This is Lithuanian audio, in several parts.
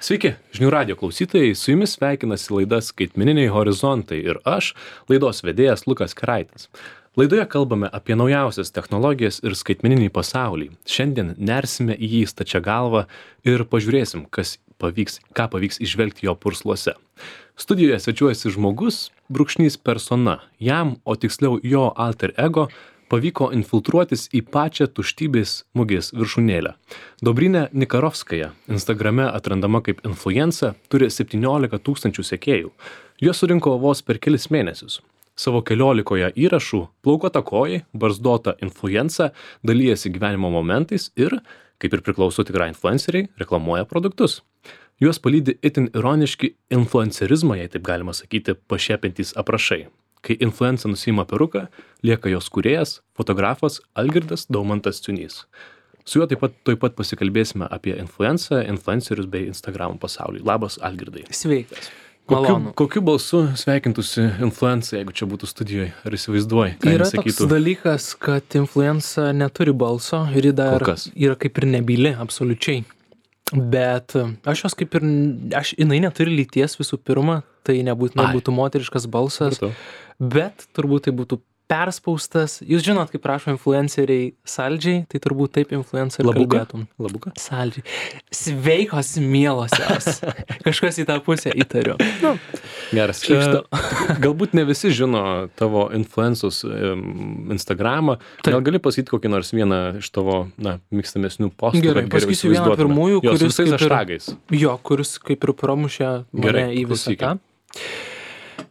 Sveiki, žinių radio klausytojai, su jumis sveikinasi laida Skaitmeniniai horizontai ir aš, laidos vedėjas Lukas Keraitis. Laidoje kalbame apie naujausias technologijas ir skaitmeninį pasaulį. Šiandien nersime į jį stačia galvą ir pažiūrėsim, ką pavyks įžvelgti jo pursluose. Studijoje svečiuojasi žmogus, brūkšnys persona. Jam, o tiksliau jo alter ego, pavyko infiltruotis į pačią tuštybės mugės viršūnėlę. Dobrynė Nikarovskaja, Instagrame atrandama kaip influencer, turi 17 000 sekėjų. Juos surinko vos per kelis mėnesius. Savo 14 įrašų plaukota kojai, barzdota influencer, dalyjasi gyvenimo momentais ir, kaip ir priklauso tikrai influenceriai, reklamuoja produktus. Juos palydi itin ironiški influencerizmą, jei taip galima sakyti, pašiepintys aprašai. Kai influencer nusiima peruką, lieka jos kūrėjas, fotografas Algirdas Daumantas Ciunys. Su juo taip pat pasikalbėsime apie influencerius bei Instagram pasaulį. Labas, Algirdai. Sveikas. Malonu. Kokiu balsu sveikintųsi influencer, jeigu čia būtų studijoje? Ar įsivaizduoji, ką yra jis sakytų? Toks dalykas, kad influencer neturi balso ir ji dar yra kaip ir nebyli, absoliučiai. Bet aš jos kaip ir, jinai neturi lyties visų pirma, tai nebūtinai būtų moteriškas balsas, bet turbūt tai būtų perspaustas. Jūs žinot, kaip prašo influenceriai saldžiai, tai turbūt taip influenceriai kalbėtum. Labuka? Saldžiai. Sveikos mielosios. Kažkas į tą pusę įtariu. Geras. Galbūt ne visi žino tavo influensus Instagramą. Gal gali pasakyti kokį nors vieną iš tavo, mėgstamesnių postų? Gerai, pasakysiu vieną pirmųjų, kuris kaip ir pramušė mane į visą tą.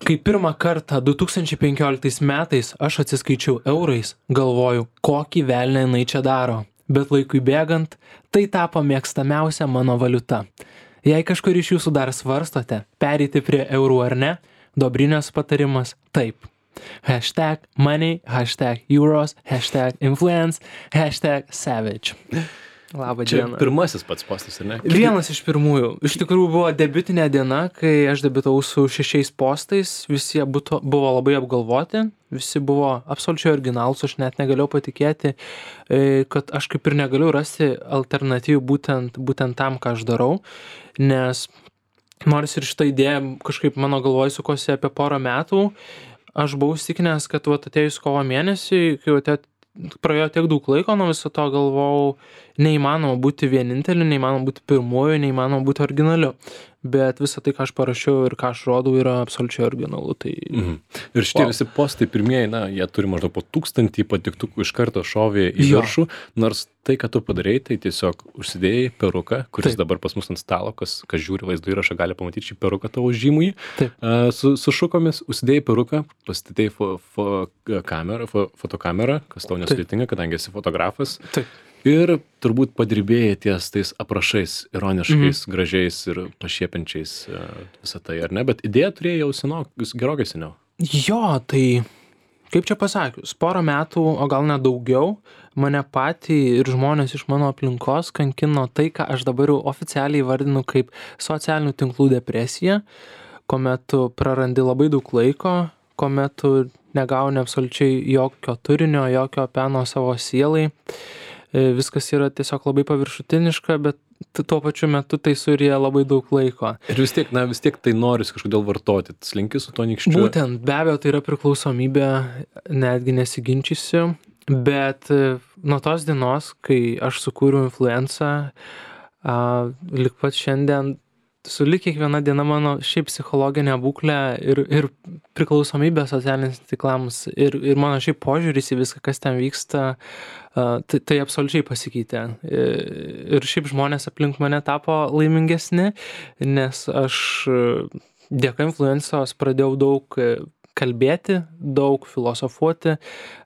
Kai pirmą kartą 2015 metais aš atsiskaičiau eurais, galvoju, kokį velnią jinai čia daro. Bet laikui bėgant, tai tapo mėgstamiausia mano valiuta. Jei kažkur iš jūsų dar svarstote, pereiti prie eurų ar ne, Dobrinės patarimas taip. #money, #euros, #influence, #savage. Labą dieną. Čia pirmasis pats postas, ar ne? Vienas iš pirmųjų. Iš tikrųjų buvo debiutinė diena, kai aš debiutavau su 6 postais. Visi buvo labai apgalvoti, visi buvo absoliučiai originalūs. Aš net negalėjau patikėti, kad aš kaip ir negaliu rasti alternatyvų būtent tam, ką aš darau. Nes nors ir šitą idėją kažkaip mano galvoj sukosi apie porą metų, aš buvau įsitikinęs, kad atėjus kovo mėnesį, kai praėjo tiek daug laiko nuo viso to, galvojau, neįmanoma būti vieninteliu, neįmanoma būti pirmuoju, neįmanoma būti originaliu. Bet visą tai, ką aš parašiau ir ką aš rodau, yra absoliučiai originalu. Tai... Ir šitie visi postai pirmieji, jie turi maždaug po 1000 patiktukų iš karto šovė į viršų, nors tai, ką tu padarei, tai tiesiog užsidėjai peruką, kuris dabar pas mus ant stalo, kas žiūri vaizdo įrašą, gali pamatyti šį peruką tavo žymųjį, su šukomis, užsidėjai peruką, pasistatei fotokamerą, kas tau nesudėtinga, kadangi esi fotografas. Ir turbūt padirbėjai ties tais aprašais, ironiškais, gražiais ir pašiepiančiais visą tai, ar ne? Bet idėją turėjai jau gerokai seniau. Jo, tai kaip čia pasakius, porą metų, o gal net daugiau, mane patį ir žmonės iš mano aplinkos kankino tai, ką aš dabar jau oficialiai vardinu kaip socialinių tinklų depresija, kuomet tu prarandi labai daug laiko, kuomet tu negauni absoliučiai jokio turinio, jokio peno savo sielai. Viskas yra tiesiog labai paviršutiniška, bet tuo pačiu metu tai suryja labai daug laiko. Ir vis tiek tai noris kažkodėl vartoti, slinki su to nykščiu. Būtent, be abejo, tai yra priklausomybė, netgi nesiginčysiu, bet nuo tos dienos, kai aš sukūriau influencer, lik pat šiandien, sulig kiekviena diena mano šiaip psichologinė būklė ir priklausomybė socialiniams tinklams ir mano šiaip požiūris į viską, kas ten vyksta, tai absoliučiai pasikeitė. Ir šiaip žmonės aplink mane tapo laimingesni, nes aš dėka influencijos pradėjau daug kalbėti, daug filosofuoti,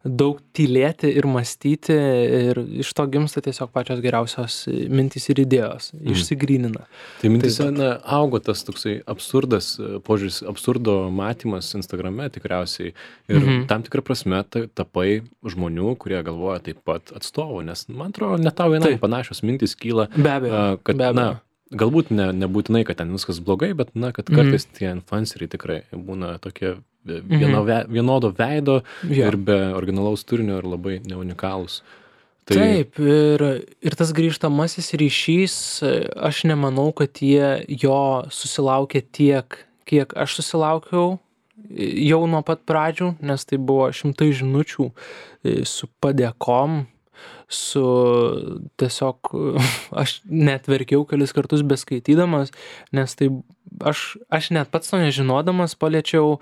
daug tylėti ir mąstyti ir iš to gimsta tiesiog pačios geriausios mintys ir idėjos, išsigrynina. Tai mintise augo tas toksai absurdas, požiūris, absurdo matymas Instagrame tikriausiai ir tam tikrą prasme tapai žmonių, kurie galvoja taip pat atstovų, nes man atrodo, net tau vienai panašios mintys kyla, kad galbūt nebūtinai, kad ten viskas blogai, bet kad kartais tie influenceriai tikrai būna tokie vienodo veido ir be originalaus turinio ir labai neunikalūs. Taip, ir tas grįžtamasis ryšys, aš nemanau, kad jie jo susilaukė tiek, kiek aš susilaukiau jau nuo pat pradžių, nes tai buvo šimtai žinučių su padėkom, su tiesiog, aš net verkiau kelis kartus beskaitydamas, nes tai aš net pats to nežinodamas paliečiau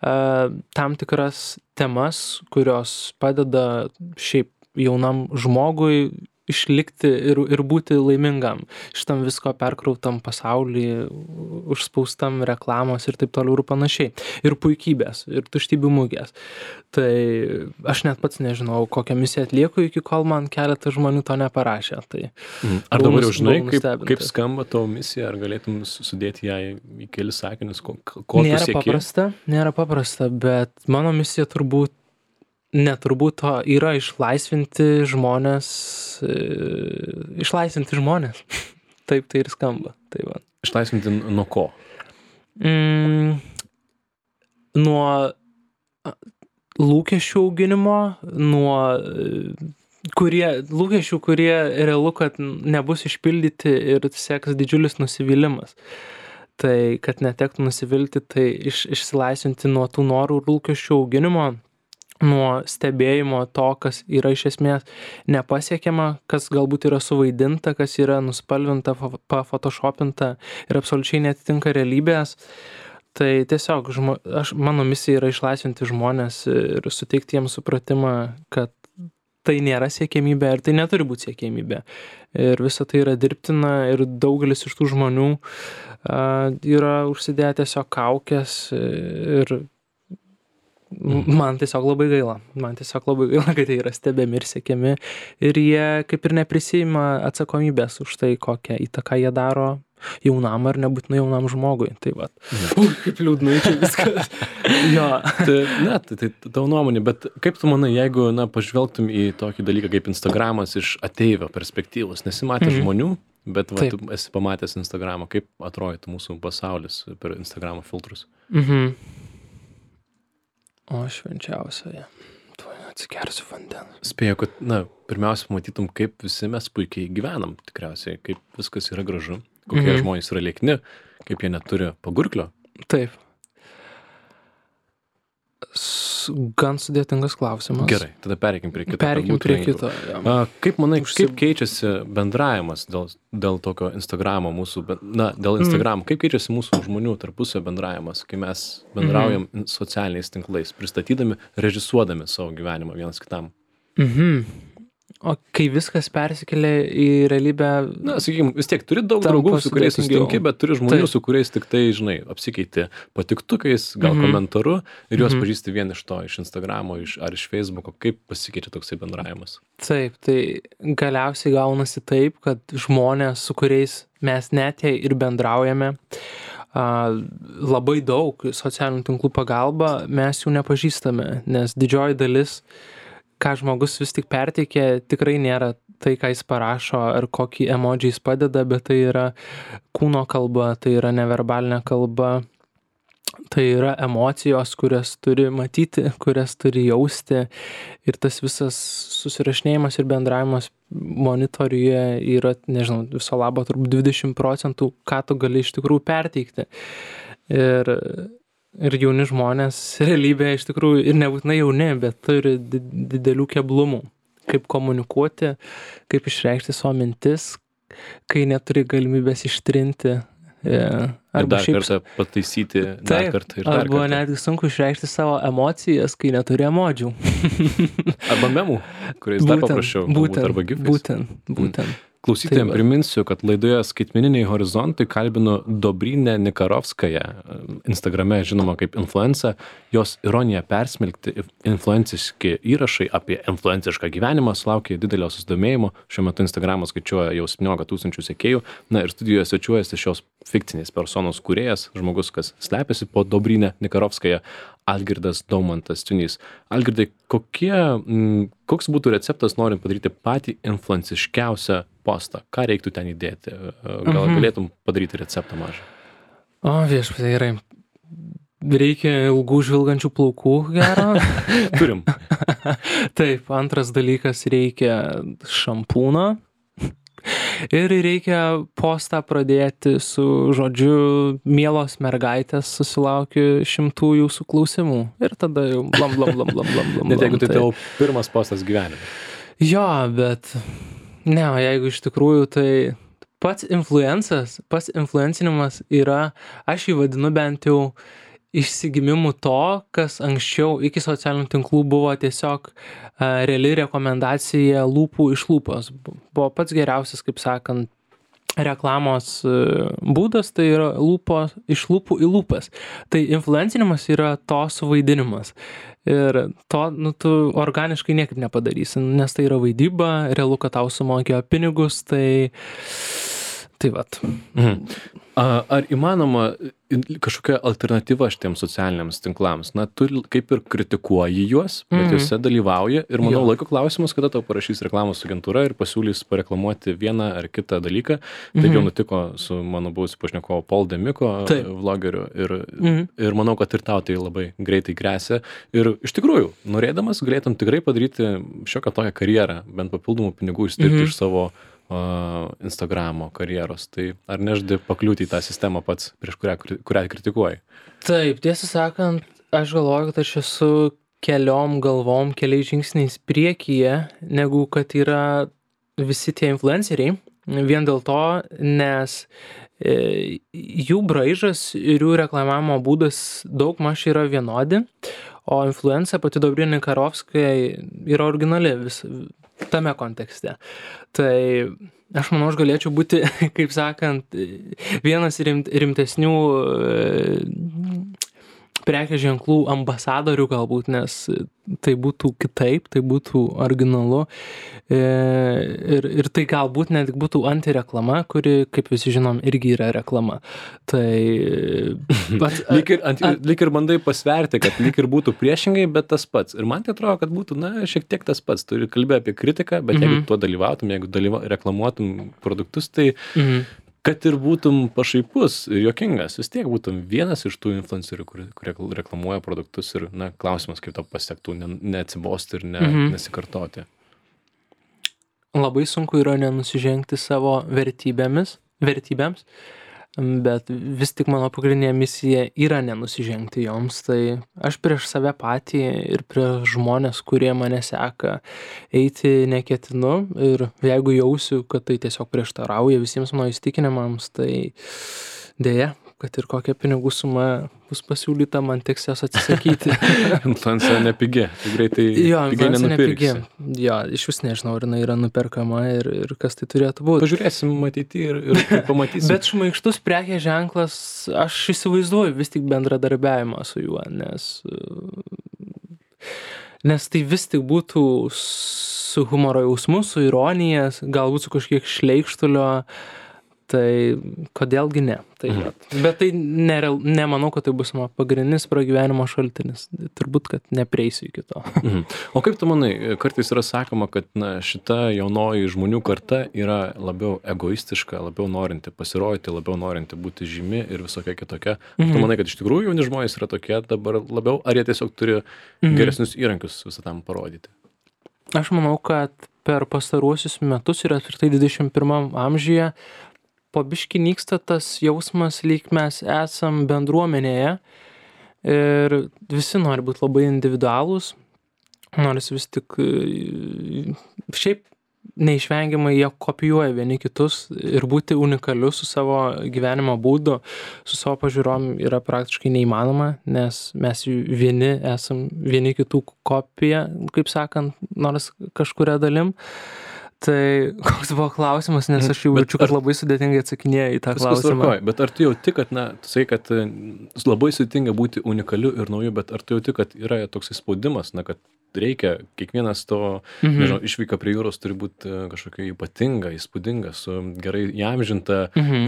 tam tikras temas, kurios padeda šiaip jaunam žmogui išlikti ir būti laimingam šitam visko perkrautam pasauly, užspaustam reklamos ir taip toliau ir panašiai. Ir puikybės, ir tuštybių mugės. Tai aš net pats nežinau, kokią misiją atlieku, iki kol man keletą žmonių to neparašė. Tai Ar dabar jau žinai, kaip skamba tavo misija, ar galėtum sudėti ją į kelis sakinius, ko tu sieki? Nėra paprasta, bet mano misija yra išlaisvinti žmonės. Taip tai ir skamba. Tai va. Išlaisvinti nuo ko? Nuo lūkesčių auginimo, nuo lūkesčių, kurie realu, kad nebus išpildyti ir seks didžiulis nusivylimas. Tai, kad netektų nusivilti, tai išsilaisvinti nuo tų norų ir lūkesčių auginimo, nuo stebėjimo to, kas yra iš esmės nepasiekiama, kas galbūt yra suvaidinta, kas yra nuspalvinta, pafotoshopinta ir absoliučiai netitinka realybės. Tai tiesiog mano misija yra išlaisvinti žmonės ir suteikti jiems supratimą, kad tai nėra siekiamybė ir tai neturi būti siekiamybė. Ir visa tai yra dirbtina ir daugelis iš tų žmonių yra užsidėję tiesiog kaukes ir man tiesiog labai gaila, kad jie yra stebimi ir siekiami ir jie kaip ir neprisiima atsakomybės už tai, kokią įtaką jie daro jaunam ar nebūtinai jaunam žmogui. Tai va. Kaip liūdnai čia viskas. Jo. Tai tavo nuomonė, bet kaip tu manai, jeigu pažvelgtum į tokį dalyką kaip Instagramas iš ateivio perspektyvos, nesimatė žmonių, bet tu esi pamatęs Instagramą, kaip atrodytų mūsų pasaulis per Instagramo filtrus? O švenčiausioje, tuoj atsigersiu vandens. Spėju, kad, pirmiausia, matytum, kaip visi mes puikiai gyvenam, tikriausiai, kaip viskas yra gražu, kokie žmonės yra liekni, kaip jie neturi pagurklio. Taip. Gan sudėtingas klausimas. Gerai, tada pereikim prie kito. Kaip manai, kaip keičiasi bendravimas dėl tokio Instagramo mūsų, dėl Instagramo, kaip keičiasi mūsų žmonių tarpusio bendravimas, kai mes bendraujam socialiniais tinklais, pristatydami, režisuodami savo gyvenimą vienas kitam? O kai viskas persikelia į realybę... Sakykime, vis tiek turi daug draugų, su kuriais susitinki, bet turi žmonių, su kuriais tik tai, apsikeiti patiktukais, gal komentaru ir juos pažįsti vien iš to, iš Instagramo ar iš Facebooko. Kaip pasikeičia toksai bendravimas? Taip, tai galiausiai gaunasi taip, kad žmonės, su kuriais mes net jei ir bendraujame, labai daug socialinių tinklų pagalba, mes jų nepažįstame, nes didžioji dalis ką žmogus vis tik perteikia, tikrai nėra tai, ką jis parašo ar kokį emodžį jis padeda, bet tai yra kūno kalba, tai yra neverbalinė kalba, tai yra emocijos, kurias turi matyti, kurias turi jausti ir tas visas susirašinėjimas ir bendravimas monitoriuje yra, nežinau, viso labo turbūt 20%, ką tu gali iš tikrųjų perteikti. Ir jauni žmonės realybėje iš tikrųjų ir nebūtinai jauni, bet turi didelių keblumų. Kaip komunikuoti, kaip išreikšti savo mintis, kai neturi galimybės ištrinti. Dar kartą pataisyti, dar kartą ir dar kartą. Arba netgi sunku išreikšti savo emocijas, kai neturi emodžių. Arba memų, kuriais dar paprašiau. Arba gifais. Būtent. Klausytojams priminsiu, kad laidoje Skaitmeniniai horizontai kalbinu Dobrynę Nikarovskają, Instagrame žinoma kaip influencer, jos ironiją persmelkti influenciški įrašai apie influencišką gyvenimą sulaukė didelio susidomėjimo. Šiuo metu Instagramas skaičiuoja jau 17 000 sekėjų. Ir studijoje svečiuojasi šios fikcinės personos kūrėjas, žmogus, kas slepiasi po Dobrynę Nikarovskają, Algirdas Daumantas Ciunys. Algirdai, koks būtų receptas norint padaryti patį influenciškiausią postą? Ką reiktų ten įdėti? Gal galėtum padaryti receptą mažą? O, viešpatie, gerai. reikia ilgų žvilgančių plaukų gero. Turim. Taip, antras dalykas reikia šampūno. Ir reikia postą pradėti su žodžiu mielos mergaitės susilaukiu 100 jūsų klausimų. Ir tada jau blam. Net jeigu tai tavo pirmas postas gyvenime. Jo, bet ne, jeigu iš tikrųjų tai pats influencinimas yra, aš jį vadinu bent jau išsigimimu to, kas anksčiau iki socialinių tinklų buvo tiesiog reali rekomendacija lūpų iš lūpos. Buvo pats geriausias, kaip sakant, reklamos būdas, tai yra iš lūpų į lūpas. Tai influencinimas yra to suvaidinimas. Ir to tu organiškai niekaip nepadarysi, nes tai yra vaidyba, realu, kad tau sumokėjo pinigus, tai vat. Ar įmanoma kažkokia alternatyva šitiems socialiniams tinklams? Na, tu kaip ir kritikuoji juos, bet juose dalyvauji ir manau laiko klausimas, kada tau parašys reklamos agentūra ir pasiūlys pareklamuoti vieną ar kitą dalyką. Taip jau nutiko su mano buvusiu pašnekovu Paul Demiko, vlogeriu, ir manau, kad ir tau tai labai greitai gresia. Ir iš tikrųjų, norėdamas, galėtum tikrai padaryti šiokią tokią karjerą, bent papildomų pinigų išstirti iš savo Instagramo karjeros. Tai ar nežadi pakliūti į tą sistemą pats, prieš kurią kritikuoji? Taip, tiesą sakant, aš galvoju, kad aš esu keliais žingsniais priekyje, negu kad yra visi tie influenceriai. Vien dėl to, nes jų braižas ir jų reklamavimo būdas daugmaž yra vienodi, o influencer pati Dobrina Karovskaja yra originali tame kontekste. Tai aš manau, aš galėčiau būti, kaip sakant, vienas rimtesnių prekės ženklų ambasadorių galbūt, nes tai būtų kitaip, tai būtų originalu ir tai galbūt net būtų antireklama, kuri, kaip visi žinom, irgi yra reklama. Tai lyg ir bandai pasverti, kad lyg ir būtų priešingai, bet tas pats. Ir man tai atrodo, kad būtų, šiek tiek tas pats. Tu kalbėjai apie kritiką, bet jeigu tuo dalyvautum, jeigu reklamuotum produktus, tai kad ir būtum pašaipus ir juokingas, vis tiek būtum vienas iš tų influencerių, kurie reklamuoja produktus ir, klausimas, kaip to pasiektų, neatsibosti ir nesikartoti. Labai sunku yra nenusižengti savo vertybėms, bet vis tik mano pagrindinė misija yra nenusižengti joms. Tai aš prieš save patį ir prieš žmonės, kurie mane seka, eiti neketinu. Ir jeigu jausiu, kad tai tiesiog prieštarauja visiems mano įsitikinimams, tai dėja, kad ir kokia pinigų suma bus pasiūlyta, man teks jos atsisakyti. Influencer nepigi, tai greitai pigiai nenupirksi. Jo, iš vis nežinau, ar jinai yra nuperkama ir kas tai turėtų būti. Pažiūrėsim matyti ir pamatysim. Bet šmaikštus prekės ženklas, aš įsivaizduoju vis tik bendradarbiavimą su juo, nes tai vis tik būtų su humoro jausmu, su ironija, galbūt su kažkiek šleikštulio. Tai kodėlgi ne. Bet tai nemanau, kad tai bus mano pagrindinis pragyvenimo šaltinis. Turbūt, kad neprieisiu iki to. O kaip tu manai, kartais yra sakoma, kad šita jaunoji žmonių karta yra labiau egoistiška, labiau norinti pasirodyti, labiau norinti būti žymi ir visokia kitokia. Tu manai, kad iš tikrųjų jauni žmonės yra tokie dabar labiau, ar jie tiesiog turi geresnius įrankius visą tam parodyti? Aš manau, kad per pastaruosius metus ir apskritai 21 amžiuje po biškį nyksta tas jausmas, lyg mes esam bendruomenėje ir visi nori būti labai individualūs, nors vis tik šiaip neišvengiamai jie kopijuoja vieni kitus ir būti unikaliu su savo gyvenimo būdu, su savo pažiūrom yra praktiškai neįmanoma, nes mes vieni esam vieni kitų kopija, kaip sakant, nors kažkuria dalim. Tai koks buvo klausimas, nes aš jau jaučiu, kad labai sudėtingai atsakinėjau į tą klausimą. Bet ar tu jauti, kad, tu sakai, kad labai sudėtinga būti unikaliu ir nauju, bet ar tu jauti, kad yra toksai spaudimas, kad reikia, kiekvienas to, nežinau, išvyka prie jūros turi būti kažkokia ypatinga, įspūdinga, su gerai įamžinta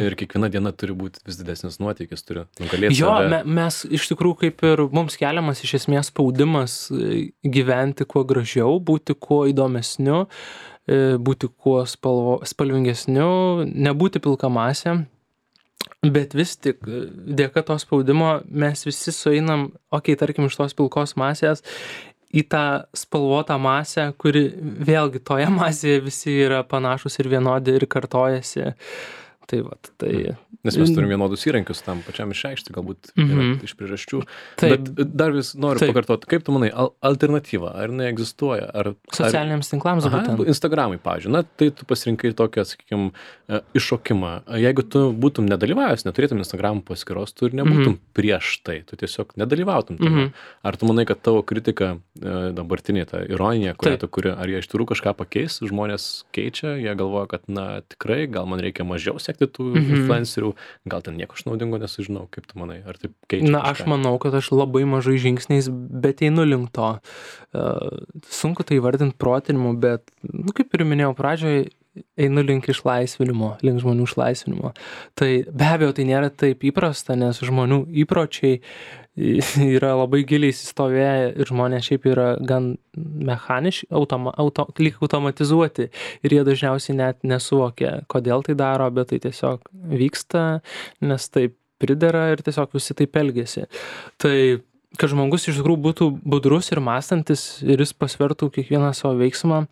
ir kiekviena diena turi būti vis didesnis nuotykis, turi nugalėti save. Mes iš tikrųjų kaip ir mums keliamas iš esmės spaudimas gyventi kuo gražiau, būti kuo įdomesniu, būti kuo spalvingesniu, nebūti pilka masė. Bet vis tik, dėka to spaudimo mes visi sueinam, tarkim, iš tos pilkos masės į tą spalvotą masę, kuri vėlgi toje masėje visi yra panašus ir vienodi ir kartojasi. Tai vat, tai... Nes mes turim vienodus įrankius tam pačiam išreikšti, galbūt yra iš priežasčių. Bet dar vis noriu pakartoti, kaip tu manai, alternatyva, ar jinai egzistuoja? Socialiniams tinklams būtent? Instagramai, pavyzdžiui, na, tai tu pasirinkai tokią, sakykime, iššokimą. Jeigu tu būtum nedalyvavęs, neturėtum Instagram paskyros, tu ir nebūtum prieš tai, tu tiesiog nedalyvautum tame. Ar tu manai, kad tavo kritika, dabartinė ta ironija, kurią tu kuri, ar jie iš tikrųjų kažką pakeis, žmonės keičia, jie galvoja, kad, na, tikrai, gal man reikia mažiau sekti tų influencerių, gal ten nieko aš naudingo nesužinau, kaip tu manai, ar taip keičia? Na, aš manau, kad aš labai mažai žingsniais, bet einu link to. Sunku tai įvardinti protinimu, bet, kaip ir minėjau pradžioje, einu link išlaisvinimo, link žmonių išlaisvinimo. Tai be abejo, tai nėra taip įprasta, nes žmonių įpročiai yra labai giliai įsistovėję ir žmonės šiaip yra gan mechaniški, lyg automatizuoti ir jie dažniausiai net nesuvokia, kodėl tai daro, bet tai tiesiog vyksta, nes taip pridera ir tiesiog visi taip elgiasi. Tai, kad žmogus iš tikrųjų būtų budrus ir mąstantis ir jis pasvertų kiekvieną savo veiksmą,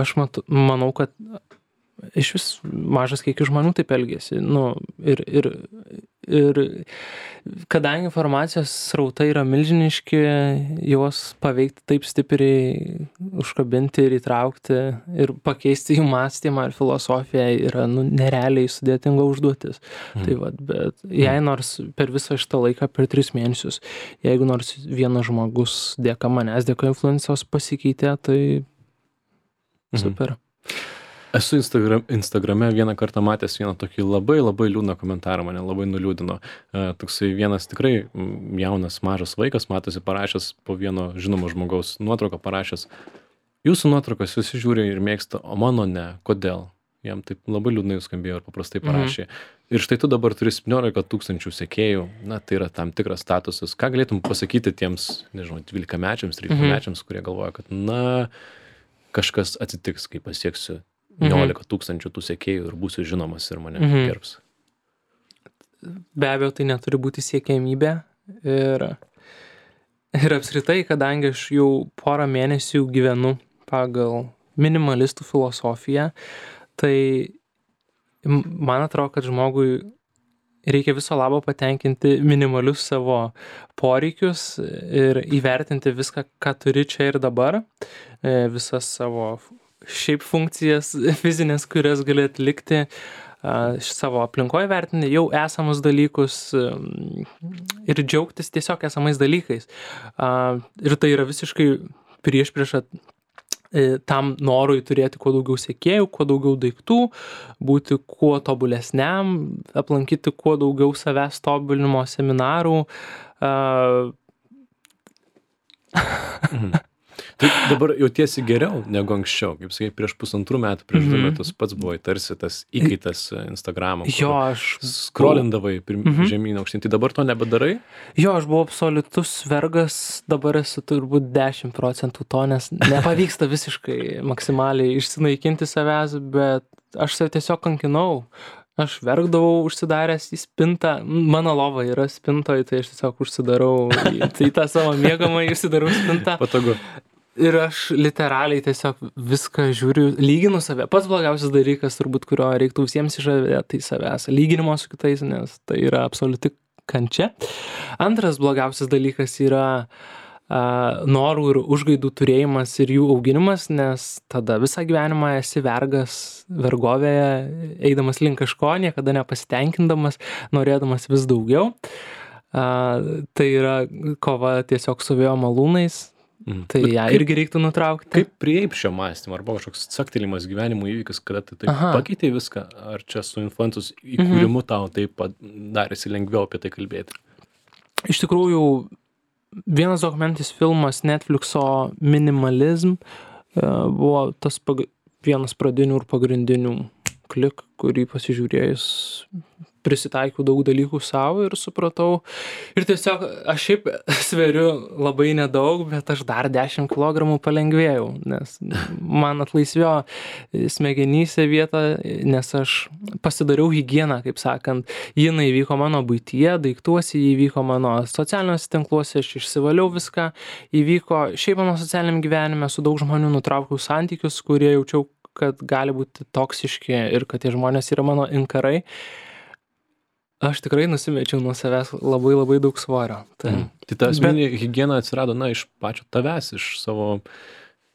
aš manau, kad iš vis mažas kiekis žmonių taip elgiasi. Ir kadangi informacijos srautai yra milžiniški, juos paveikti taip stipriai, užkabinti ir įtraukti ir pakeisti jų mąstymą ir filosofiją yra nerealiai sudėtinga užduotis. Tai vat, bet jei nors per visą šitą laiką, per 3 mėnesius, jeigu nors vienas žmogus dėka manęs, dėka influencijos pasikeitė, tai super. Esu Instagrame vieną kartą matęs vieną tokį labai liūdną komentarą, mane labai nuliūdino. Toksai vienas tikrai jaunas, mažas vaikas, matosi parašęs po vieno žinomo žmogaus nuotrauką parašęs, jūsų nuotraukas visi žiūri ir mėgsta, o mano ne, kodėl? Jam taip labai liūdnai skambėjo ir paprastai parašė. Ir štai tu dabar turi 17 000 sekėjų, na, tai yra tam tikras statusas. Ką galėtum pasakyti tiems, nežinau, 12-mečiams, 13-mečiams, kurie galvoja, kad, na, kažkas atsitiks, kai pasieksiu 19 000 tų sekėjų ir būsiu žinomas ir mane gerbs. Be abejo, tai neturi būti siekiamybė ir apskritai, kadangi aš jau porą mėnesių gyvenu pagal minimalistų filosofiją, tai man atrodo, kad žmogui reikia viso labo patenkinti minimalius savo poreikius ir įvertinti viską, ką turi čia ir dabar, visas savo šiaip funkcijas fizinės, kurias gali atlikti, savo aplinkoje vertinti jau esamus dalykus ir džiaugtis tiesiog esamais dalykais. Ir tai yra visiškai priešprieša tam norui turėti kuo daugiau sekėjų, kuo daugiau daiktų, būti kuo tobulesniam, aplankyti kuo daugiau savęs tobulinimo seminarų. Tai dabar jautiesi geriau negu anksčiau, kaip sakai, prieš 1,5 metų, prieš 2 metus pats buvai tarsi tas įkaitas Instagramo. Jo, aš skrolindavai žemyn aukštyn, tai dabar to nebedarai? Jo, aš buvau absoliutus vergas, dabar esu turbūt 10% to, nes nepavyksta visiškai maksimaliai išsinaikinti savęs, bet aš save tiesiog kankinau. Aš verkdavau užsidaręs į spintą, mano lova yra spintoje, tai aš tiesiog užsidarau į tą savo miegamąjį, užsidarau spintą. Patogu. Ir aš literaliai tiesiog viską žiūriu, lyginu save. Pats blogiausias dalykas, turbūt, kurio reiktų visiems išžavėti, tai savęs. Lyginimo su kitais, nes tai yra absoliuti kančia. Antras blogiausias dalykas yra norų ir užgaidų turėjimas ir jų auginimas, nes tada visą gyvenimą esi vergas vergovėje, eidamas link kažko, niekada nepasitenkindamas, norėdamas vis daugiau. Tai yra kova tiesiog su vėjo malūnais. Tai ją irgi reiktų nutraukti. Kaip prieip šio mąstymo, arba kažkoks caktelimas gyvenimo įvykis, kada tai taip pakeitė viską, ar čia su influencijos įkūrimu tau taip darėsi lengviau apie tai kalbėti? Iš tikrųjų, vienas dokumentinis filmas Netflixo Minimalism buvo tas vienas pradinių ir pagrindinių klik, kurį pasižiūrėjus prisitaikiau daug dalykų savo ir supratau. Ir tiesiog aš šiaip sveriu labai nedaug, bet aš dar 10 kilogramų palengvėjau, nes man atlaisvėjo smegenyse vieta, nes aš pasidariau higieną, kaip sakant. Jinai įvyko mano buityje, daiktuose, įvyko mano socialiniuose tinkluose, aš išsivaliau viską, įvyko šiaip mano socialiniam gyvenime, su daug žmonių nutraukiau santykius, kurie jaučiau, kad gali būti toksiški ir kad tie žmonės yra mano inkarai. Aš tikrai nusimečiau nuo savęs labai labai daug svorio. Tai ta asmeninė higiena atsirado, iš pačio tavęs, iš savo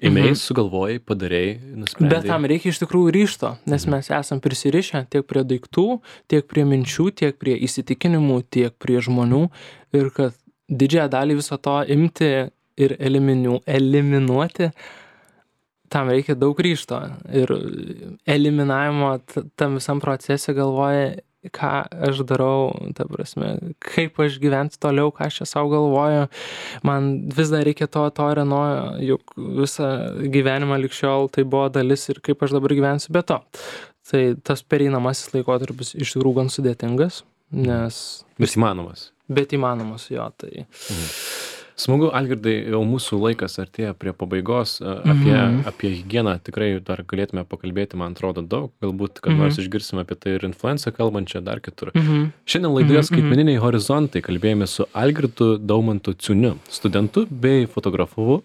ėmėjai, sugalvojai, padarėjai, nusprendei. Bet tam reikia iš tikrųjų ryžto, nes mes esam prisirišę tiek prie daiktų, tiek prie minčių, tiek prie įsitikinimų, tiek prie žmonių ir kad didžiąją dalį viso to imti ir eliminuoti, tam reikia daug ryžto. Ir eliminavimo tam visam procese galvoja, ką aš darau, ta prasme, kaip aš gyvensiu toliau, ką aš čia savo galvoju. Man vis dar reikia to ir ano, juk visą gyvenimą lig šiol tai buvo dalis ir kaip aš dabar gyvensiu be to. Tai tas pereinamasis laikotarpis iš tikrųjų gan sudėtingas, nes... Bet įmanomas, jo, tai... Smagu, Algirdai, jau mūsų laikas artėja prie pabaigos. Apie higieną tikrai dar galėtume pakalbėti, man atrodo, daug. Galbūt, kad nors išgirsime apie tai ir influenciją kalbančią dar kitur. Šiandien laidoje Skaitmeniniai horizontai kalbėjome su Algirdu Daumantu Ciuniu, studentu bei fotografu,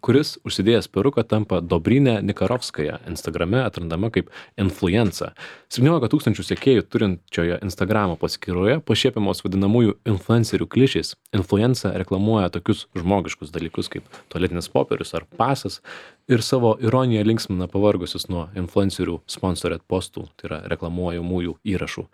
kuris užsidėjęs peruką tampa Dobrynė Nikarovskaja, Instagrame atrandama kaip influenca. 17 000 sekėjų turinčioje Instagramo paskyroje pašiepiamos vadinamųjų influencerių klišės. Influenca reklamuoja tokius žmogiškus dalykus kaip tualetinis popierius ar pasas ir savo ironiją linksmina pavargusius nuo influencerių sponsored postų, tai yra reklamuojamųjų įrašų.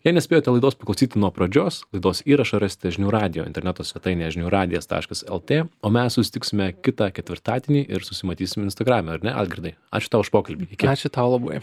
Jei nespėjote laidos paklausyti nuo pradžios, laidos įrašą rasite Žinių radijo interneto svetainėje žiniųradijas.lt, o mes susitiksime kitą ketvirtadienį ir susimatysime Instagrame, ar ne, Algirdai? Ačiū tau už pokalbį. Iki. Ačiū tau labai.